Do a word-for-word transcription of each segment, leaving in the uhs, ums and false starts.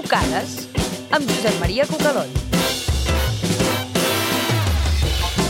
Cucades, amb Josep Maria Cucalón.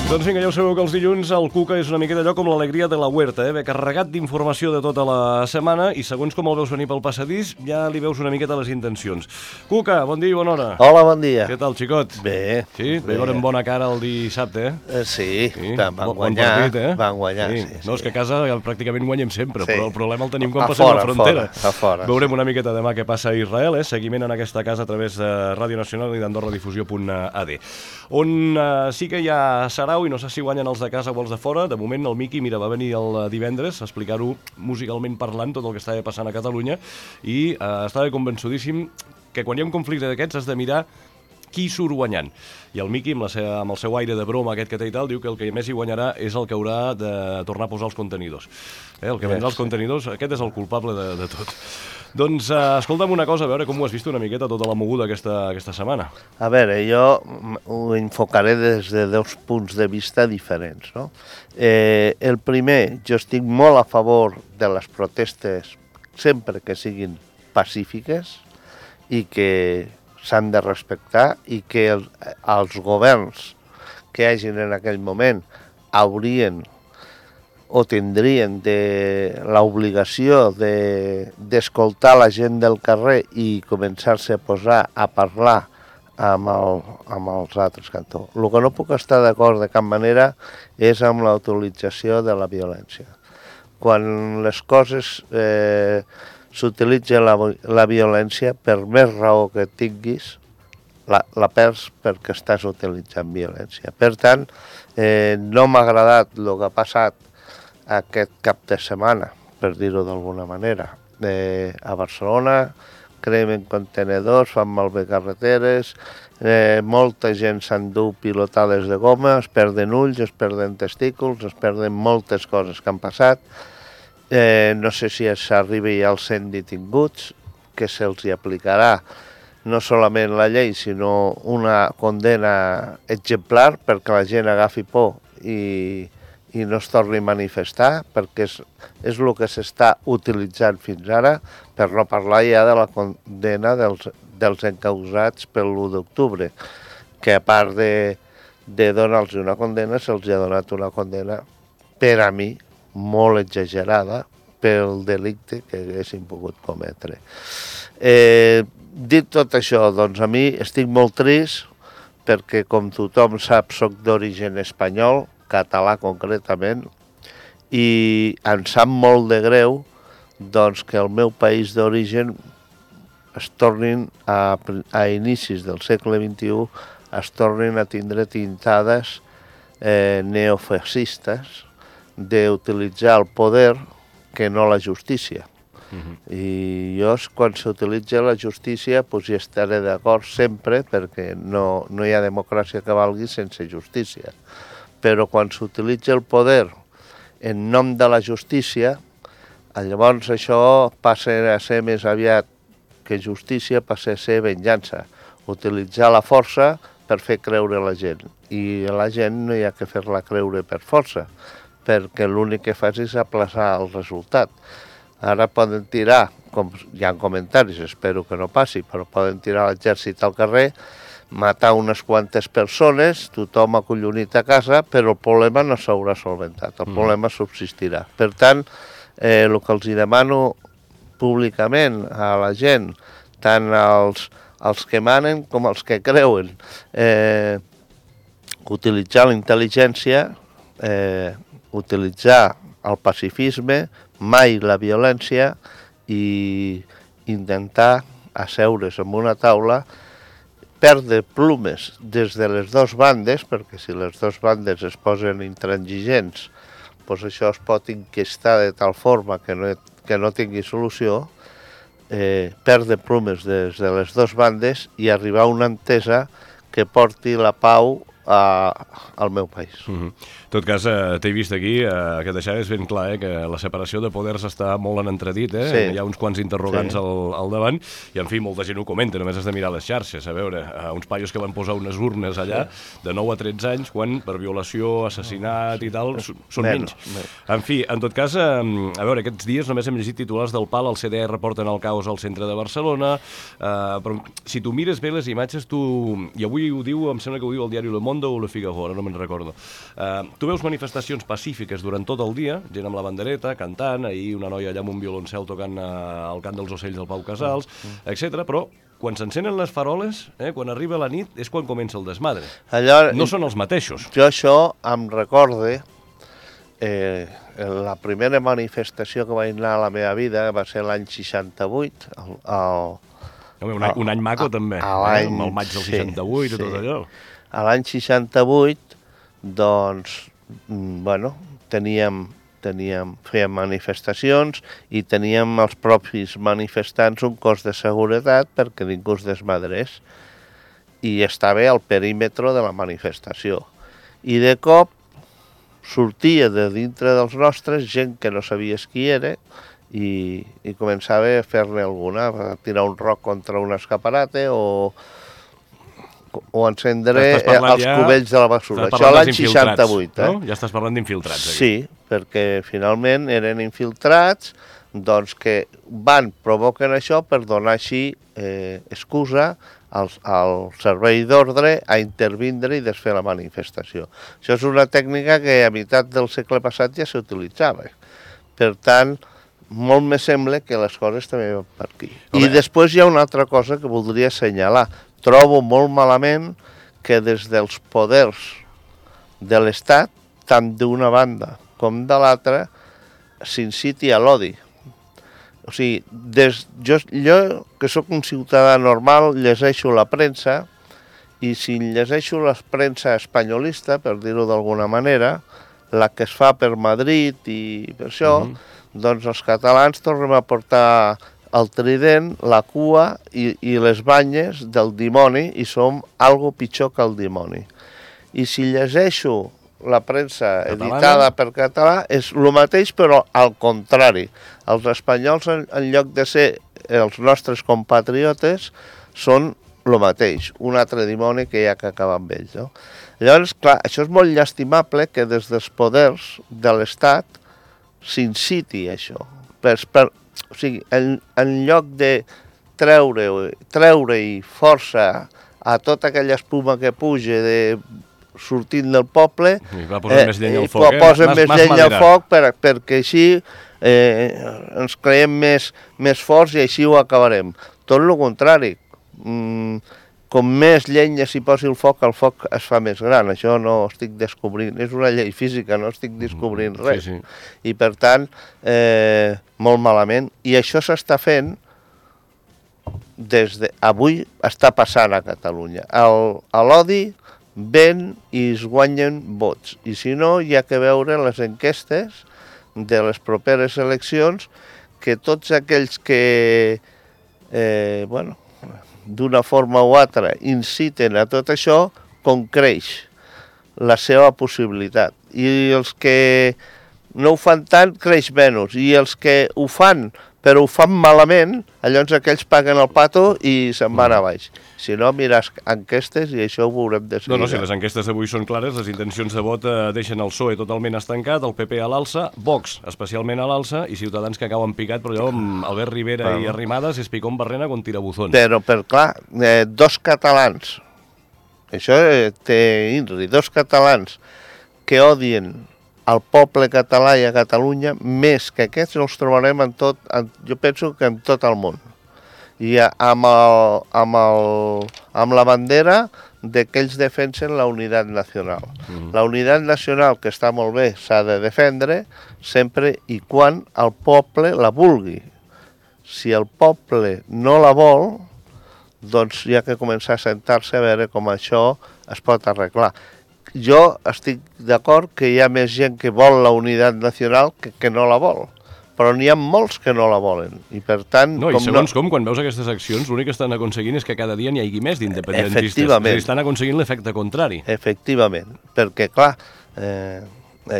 Doncs vinga, ja ho sabeu que els dilluns el Cuca és una miqueta allò com l'alegria de la huerta, eh? Ve carregat d'informació de tota la setmana i segons com el veus venir pel passadís ja li veus una miqueta les intencions. Cuca, bon dia i bona hora. Hola, bon dia. Què tal, xicot? Bé. Sí? Bé. Veurem bona cara el dissabte, eh? Eh, sí, Sí, van bon- bon guanyar, partit, eh? van guanyar, Sí. sí, sí. No, és que a casa ja pràcticament guanyem sempre, Sí. però el problema el tenim quan A passem fora, la frontera. a fora, a fora, Veurem una miqueta demà què passa a Israel, eh? Seguiment en aquesta casa a través de Ràdio Nacional i d'AndorraDifusió punt a d, on eh, sí que hi ha sarau i no sé si guanyen els de casa o els de fora. De moment el Miqui, mira, va venir el divendres a explicar-ho musicalment parlant, tot el que estava passant a Catalunya, i eh, estava convençudíssim que quan hi ha un conflicte d'aquests has de mirar qui surt guanyant. I el Miqui, amb, la seva, amb el seu aire de broma aquest que té i tal, diu que el que més hi guanyarà és el que haurà de tornar a posar els contenidors. Eh, el que vendrà els contenidors, aquest és el culpable de, de tot. Doncs, eh, escolta'm una cosa, a veure com ho has vist una miqueta tota la moguda aquesta, aquesta setmana. A veure, jo ho enfocaré des de dos punts de vista diferents, no? Eh, el primer, jo estic molt a favor de les protestes sempre que siguin pacífiques i que s'han de respectar i que el, els governs que hi hagin en aquell moment haurien o tindrien de l'obligació de, d'escoltar la gent del carrer i començar-se a posar a parlar amb, el, amb els altres cantors. El que no puc estar d'acord de cap manera és amb la utilització de la violència. Quan les coses eh, s'utilitza la, la violència, per més raó que tinguis, la, la perds perquè estàs utilitzant violència. Per tant, eh, no m'ha agradat el que ha passat aquest cap de setmana, per dir-ho d'alguna manera. Eh, a Barcelona cremen contenedors, fan malbé carreteres, eh, molta gent s'endú pilotades de goma, es perden ulls, es perden testículs, es perden moltes coses que han passat. Eh, no sé si s'arribi als cent detinguts, que se'ls hi aplicarà no solament la llei, sinó una condena exemplar perquè la gent agafi por i, i no es torni a manifestar, perquè és, és el que s'està utilitzant fins ara, per no parlar ja de la condena dels, dels encausats per l'u d'octubre, que a part de, de donar-los una condena, se'ls ha donat una condena, per a mi, molt exagerada pel delicte que haguessin pogut cometre. Eh, dit tot això, doncs a mi estic molt trist perquè, com tothom sap, soc d'origen espanyol, català concretament, i em sap molt de greu doncs, que el meu país d'origen es tornin a, a inicis del segle vint-i-u es tornin a tindre tintades eh, neofascistes d'utilitzar el poder que no la justícia. Uh-huh. I jo, quan s'utilitza la justícia, doncs hi estaré d'acord sempre, perquè no, no hi ha democràcia que valgui sense justícia. Però quan s'utilitza el poder en nom de la justícia, llavors això passa a ser més aviat que justícia, passa a ser venjança. Utilitzar la força per fer creure la gent. I la gent no hi ha que fer-la creure per força, perquè l'únic que fas és aplaçar el resultat. Ara poden tirar, com hi ha comentaris, espero que no passi, però poden tirar l'exèrcit al carrer, matar unes quantes persones, tothom acollonit a casa, però el problema no s'haurà solventat, el mm. problema subsistirà. Per tant, eh, el que els demano públicament a la gent, tant als, als que manen com als que creuen, eh, utilitzar la intel·ligència, eh, utilitzar el pacifisme, mai la violència, i intentar asseure's en una taula, perdre plumes des de les dues bandes, perquè si les dues bandes es posen intransigents, doncs això es pot enquestar de tal forma que no, que no tingui solució, eh, perdre plumes des de les dues bandes i arribar a una entesa que porti la pau a, al meu país. Uh-huh. En tot cas, eh, t'he vist aquí, eh, que deixaves ben clar eh, que la separació de poders està molt en entredit, eh? Sí. Hi ha uns quants interrogants Sí. al, al davant, i en fi, molta gent ho comenta, només has de mirar les xarxes, a veure, eh, uns paios que van posar unes urnes allà, sí. de nou a tretze anys, quan per violació, assassinat i tal, s- són Menys, menys. menys. En fi, en tot cas, eh, a veure, aquests dies només hem llegit titulars del pal, el C D R reporten el caos al centre de Barcelona, eh, però si tu mires bé les imatges, tu, i avui ho diu, em sembla que ho diu el diari Le Monde o Le Figaro, ara no me'n recordo, eh, tu veus manifestacions pacífiques durant tot el dia, gent amb la bandereta, cantant, ahir una noia allà amb un violoncel tocant eh, el cant dels ocells del Pau Casals, etcètera. Però quan s'encenen les faroles, eh, quan arriba la nit, és quan comença el desmadre. Allò, No són els mateixos. Jo això em recorde eh, la primera manifestació que vaig anar a la meva vida va ser l'any seixanta-vuit, el, el, Home, un, any, un any maco, a- també, a eh, l'any- amb el maig del sí, seixanta-vuit i tot sí. allò. a l'any seixanta-vuit, doncs, mm, bueno, teníem, teníem, fèiem manifestacions i teníem els propis manifestants un cos de seguretat perquè ningú es desmadrés i estava al perímetre de la manifestació. I de cop sortia de dintre dels nostres gent que no sabies qui era i, i començava a fer-ne alguna, a tirar un roc contra un escaparate o, o encendre Estàs parlant els ja- cubells de la basura. Estàs Això parlant l'any dels infiltrats, seixanta-vuit, eh? no? Ja estàs parlant d'infiltrats, aquí. Sí, perquè finalment eren infiltrats doncs, que van, provoquen això per donar així eh, excusa al, al servei d'ordre a intervindre i desfer la manifestació. Això és una tècnica que a meitat del segle passat ja s'utilitzava. Per tant, molt me sembla que les coses també van per aquí. Home. I després hi ha una altra cosa que voldria assenyalar. Trobo molt malament que des dels poders de l'Estat, tant d'una banda com de l'altra, s'inciti a l'odi. O sigui, des, jo, jo, que sóc un ciutadà normal, llegeixo la premsa i si llegeixo la premsa espanyolista, per dir-ho d'alguna manera, la que es fa per Madrid i per això, Mhm. doncs els catalans tornem a portar el trident, la cua i, i les banyes del dimoni i som algo pitjor que el dimoni. I si llegeixo la premsa Catalana. editada per català és el mateix però al contrari. Els espanyols en, en lloc de ser els nostres compatriotes són el mateix, un altre dimoni que hi ha que acabar amb ells. No? Llavors, clar, això és molt llastimable que des dels poders de l'Estat s'inciti això. Per, per, o sigui, en, en lloc de treure, treure-hi força a tota aquella espuma que puja de sortint del poble, I va posant més llenya al i foc, eh? posen Mas- més mas llenya al madera. foc per, perquè així eh, ens creiem més, més forts i així ho acabarem. Tot el contrari. Mm, com més llenya s'hi posi el foc, el foc es fa més gran. Això no estic descobrint, és una llei física, no estic descobrint res. Sí, sí. I per tant, eh, molt malament. I això s'està fent des de... Avui està passant a Catalunya. El- a l'odi ven i es guanyen vots. I si no, hi ha que veure les enquestes de les properes eleccions que tots aquells que, eh, bueno, d'una forma o altra inciten a tot això, com creix la seva possibilitat. I els que no ho fan tant, creix menys. I els que ho fan, però ho fan malament, llavors aquells paguen el pato i se'n van a baix. Si no, mires enquestes i això ho veurem de seguida. No, no, si les enquestes d'avui són clares, les intencions de vot eh, deixen el P S O E totalment estancat, el P P a l'alça, Vox especialment a l'alça i Ciutadans que acaben picat, però allò amb Albert Rivera Bueno. i Arrimadas és picón barrena con tirabuzons. Però, per clar, eh, dos catalans, això eh, té Inri, dos catalans que odien al poble català i a Catalunya, més que aquests els trobarem en tot, en, jo penso que en tot el món. I a- amb, el, amb, el, amb la bandera de que ells defensen la unitat nacional. Mhm. La unitat nacional, que està molt bé, s'ha de defendre sempre i quan el poble la vulgui. Si el poble no la vol, doncs hi ha que començar a sentar-se a veure com això es pot arreglar. Jo estic d'acord que hi ha més gent que vol la unitat nacional que, que no la vol, però n'hi ha molts que no la volen. I per tant... No, i segons com, quan veus aquestes accions, l'únic que estan aconseguint és que cada dia n'hi hagi més d'independentistes. Efectivament. És a dir, estan aconseguint l'efecte contrari. Efectivament, perquè, clar, eh,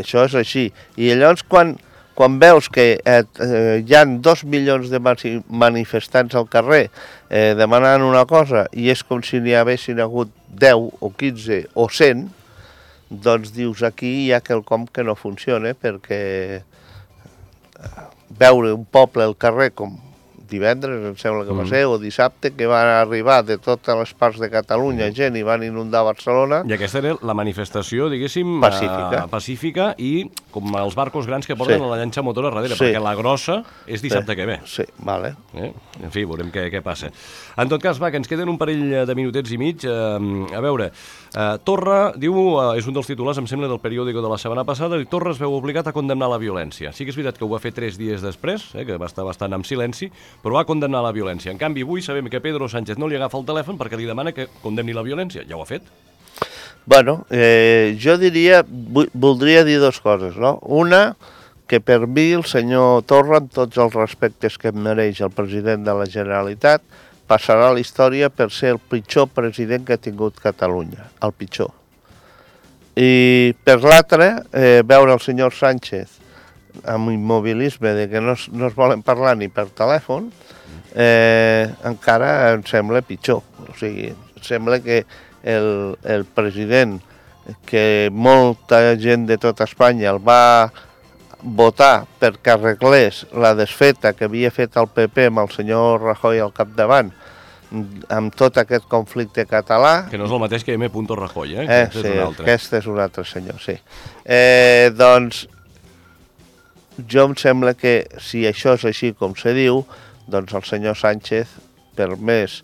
això és així. I llavors, quan, quan veus que eh, eh, hi ha dos milions de manifestants al carrer eh, demanant una cosa i és com si n'hi haguessin hagut deu o quinze o cent, doncs dius, aquí hi ha quelcom que no funciona, perquè veure un poble al carrer com divendres, em sembla que va ser, o dissabte, que van arribar de totes les parts de Catalunya gent i van inundar Barcelona. I aquesta era la manifestació, diguéssim, pacífica, uh, pacífica i com els barcos grans que porten sí. a la llanxa motora darrere, sí. perquè la grossa és dissabte sí. que ve. Sí, vale. Eh? En fi, veurem què, què passa. En tot cas, va, que ens queden un parell de minutets i mig. Uh, a veure, uh, Torra, diu, uh, és un dels titulars, em sembla, del periòdico de la setmana passada, i Torra es veu obligat a condemnar la violència. Sí que és veritat que ho va fer tres dies després, eh, que va estar bastant en silenci, però va condemnar la violència. En canvi, avui sabem que Pedro Sánchez no li agafa el telèfon perquè li demana que condemni la violència. Ja ho ha fet. Bueno, eh, jo diria, voldria dir dues coses, no? Una, que per mi el senyor Torra, amb tots els respectes que em mereix el president de la Generalitat, passarà a la història per ser el pitjor president que ha tingut Catalunya, el pitjor. I per l'altre, eh, veure el senyor Sánchez amb immobilisme de que no es, no es volen parlar ni per telèfon, eh, encara em sembla pitjor. O sigui, em sembla que el, el president, que molta gent de tot Espanya el va votar perquè arreglés la desfeta que havia fet el P P amb el senyor Rajoy al capdavant, amb tot aquest conflicte català... Que no és el mateix que M. Rajoy, eh? eh sí, és aquest és un altre senyor, sí. Eh, doncs, jo em sembla que si això és així com se diu, doncs el senyor Sánchez, per més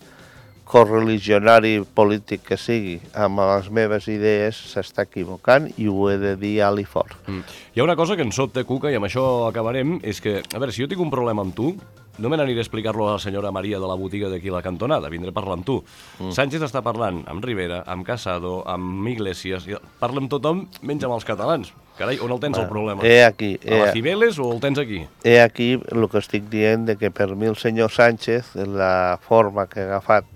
correligionari polític que sigui amb les meves idees, s'està equivocant i ho he de dir alt i fort. Mm. Hi ha una cosa que em sobta, Cuca, i amb això acabarem, és que, a veure, si jo tinc un problema amb tu, no me n'aniré a explicar-lo a la senyora Maria de la botiga d'aquí a la cantonada, vindré a parlar amb tu. Mm. Sánchez està parlant amb Rivera, amb Casado, amb Iglesias, parla amb tothom menys amb els catalans. Carai, on el tens el problema? He aquí, he, a la Cibeles o el tens aquí? He aquí el que estic dient, de que per mi el senyor Sánchez, la forma que ha agafat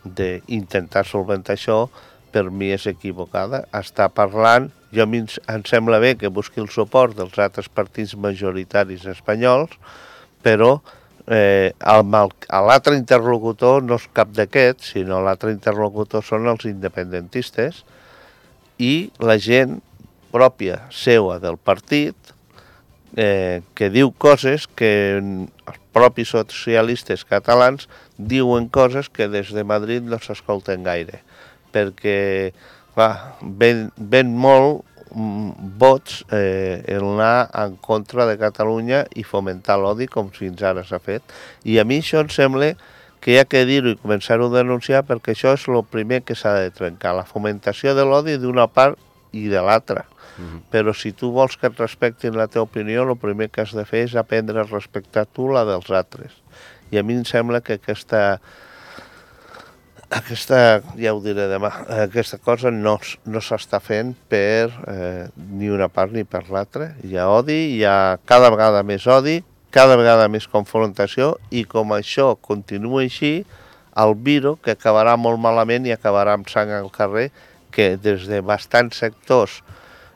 d'intentar solventar això, per mi és equivocada. Està parlant, jo a mi em sembla bé que busqui el suport dels altres partits majoritaris espanyols, però eh, l'altre interlocutor no és cap d'aquests, sinó l'altre interlocutor són els independentistes i la gent pròpia seua del partit, eh, que diu coses que els propis socialistes catalans diuen coses que des de Madrid no s'escolten gaire, perquè va, ven, ven molt mm, vots eh, el anar en contra de Catalunya i fomentar l'odi com fins ara s'ha fet. I a mi això em sembla que hi ha que dir-ho i començar-ho a denunciar, perquè això és el primer que s'ha de trencar, la fomentació de l'odi d'una part i de l'altra. Uh-huh. Però si tu vols que et respectin la teva opinió, el primer que has de fer és aprendre a respectar tu la dels altres. I a mi em sembla que aquesta, aquesta ja ho diré demà, aquesta cosa no, no s'està fent per eh, ni una part ni per l'altra. Hi ha odi, hi ha cada vegada més odi, cada vegada més confrontació, i com això continua així, el virus, que acabarà molt malament i acabarà amb sang al carrer, que des de bastants sectors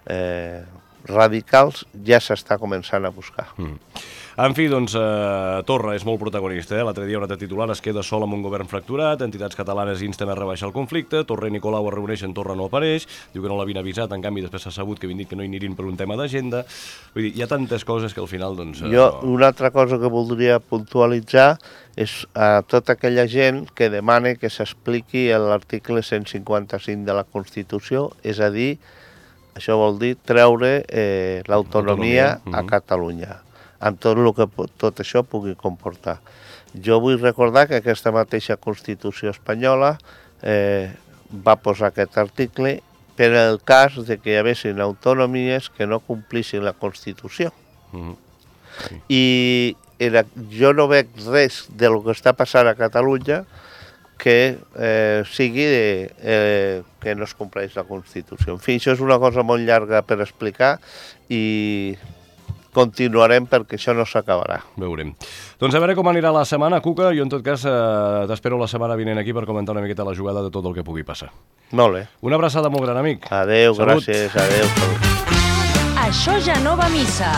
eh, radicals ja s'està començant a buscar. Mm. En fi, doncs, eh, Torra és molt protagonista. Eh? L'altre dia un altre titular es queda sol amb un govern fracturat, entitats catalanes insten a rebaixar el conflicte, Torra i Nicolau es reuneixen, Torra no apareix, diu que no l'havien avisat, en canvi després s'ha sabut que havien dit que no hi anirin per un tema d'agenda. Vull dir, hi ha tantes coses que al final, doncs... Eh, jo, no... una altra cosa que voldria puntualitzar és a tota aquella gent que demana que s'expliqui l'article cent cinquanta-cinc de la Constitució, és a dir, això vol dir treure eh, l'autonomia a Catalunya, amb tot el que tot això pugui comportar. Jo vull recordar que aquesta mateixa Constitució espanyola eh, va posar aquest article per el cas de que hi haguessin autonomies que no complissin la Constitució. Mm-hmm. Sí. I era, jo no veig res del que està passant a Catalunya que eh, sigui de, eh, que no es compleix la Constitució. En fi, això és una cosa molt llarga per explicar i continuarem perquè això no s'acabarà. Veurem. Doncs a veure com anirà la setmana, Cuca. Jo, en tot cas, eh, t'espero la setmana vinent aquí per comentar una miqueta la jugada de tot el que pugui passar. Molt bé. Una abraçada molt gran, amic. Adéu, Salut. gràcies, adéu. Salut. Això ja no va a missa.